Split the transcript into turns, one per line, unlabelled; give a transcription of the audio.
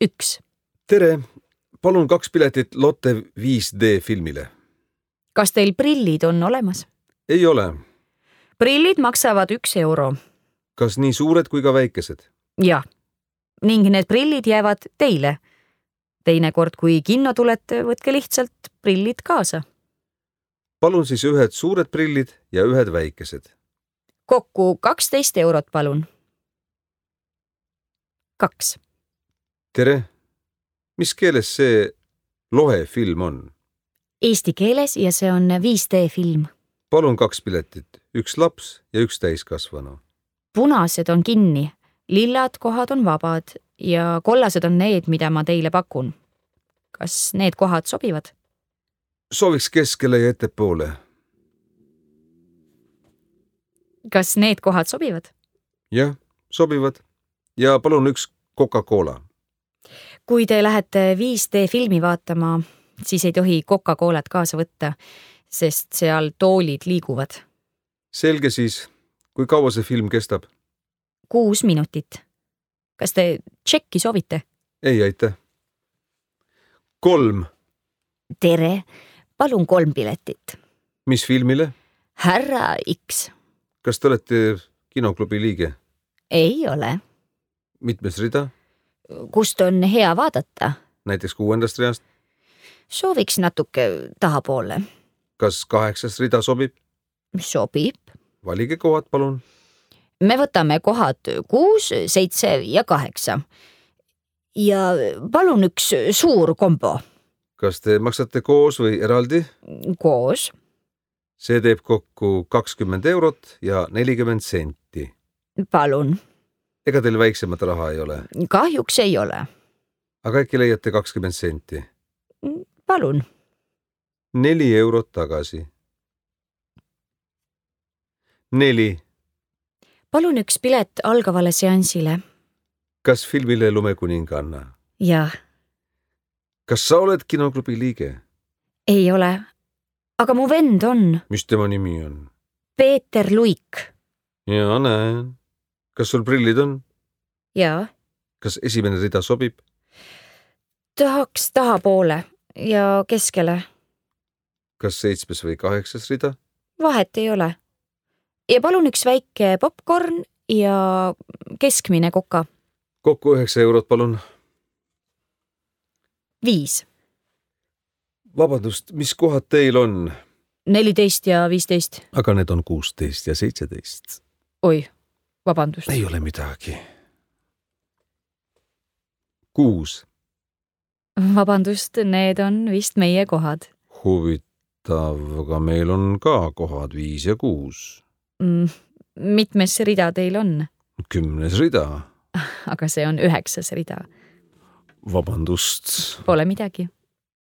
1.
Tere, palun 2 piletit Lotte 5D filmile.
Kas teil prillid on olemas?
Ei ole.
Prillid maksavad 1 euro.
Kas nii suured kui ka väikesed?
Jah. Ning need prillid jäävad teile. Teinekord, kui kinno tulete, võtke lihtsalt prillid kaasa.
Palun siis 1 suured prillid ja 1 väikesed.
Kokku 12 eurot, palun. 2.
Tere, mis keeles see Lohe film on?
Eesti keeles ja see on 5D film.
Palun 2 piletit, 1 laps ja 1 täiskasvanu.
Punased on kinni, lillad kohad on vabad ja kollased on need, mida ma teile pakun. Kas need kohad sobivad?
Sooviks keskele ja ettepoole.
Kas need kohad sobivad?
Jah, sobivad. Ja palun 1 Coca-Cola.
Kui te lähete 5D filmi vaatama, siis ei tohi Coca-Colat kaasa võtta, sest seal toolid liiguvad.
Selge siis. Kui kaua see film kestab?
6 minutit. Kas te tšekki soovite?
Ei, aitäh. 3.
Tere, palun 3 piletit.
Mis filmile?
Härra X.
Kas te olete kinoklubi liige?
Ei ole.
Mitmes rida?
Kust on hea vaadata?
Näiteks 6. reast?
Sooviks natuke tahapoole.
Kas 8. rida sobib?
Sobib.
Valige kohad, palun.
Me võtame kohad 6, 7 ja 8. Ja palun 1 suur kombo.
Kas te maksate koos või eraldi?
Koos.
See teeb kokku 20 eurot ja 40 senti.
Palun.
Ega teil väiksemat raha ei ole?
Kahjuks ei ole.
Aga äkki leiate 20 senti?
Palun.
4 eurot tagasi. 4.
Palun 1 pilet algavale seansile.
Kas filmile Lumekuninganna?
Jah.
Kas sa oled kinoklubi liige?
Ei ole. Aga mu vend on.
Mis tema nimi on?
Peeter Luik.
Ja näen. Kas sul prillid on?
Jaa.
Kas esimene rida sobib?
Tahaks tahapoole ja keskele.
Kas 7. või 8. rida?
Vahet ei ole. Ja palun 1 väike popcorn ja keskmine koka.
Kokku 9 eurot, palun.
5.
Vabandust, mis kohad teil on?
14 ja 15.
Aga need on 16 ja 17.
Oi, vabandust.
Ei ole midagi. 6.
Vabandust, need on vist meie kohad.
Huvitav, aga meil on ka kohad 5 ja 6.
Mitmes rida teil on?
10. rida.
Aga see on 9. rida.
Vabandust.
Pole midagi.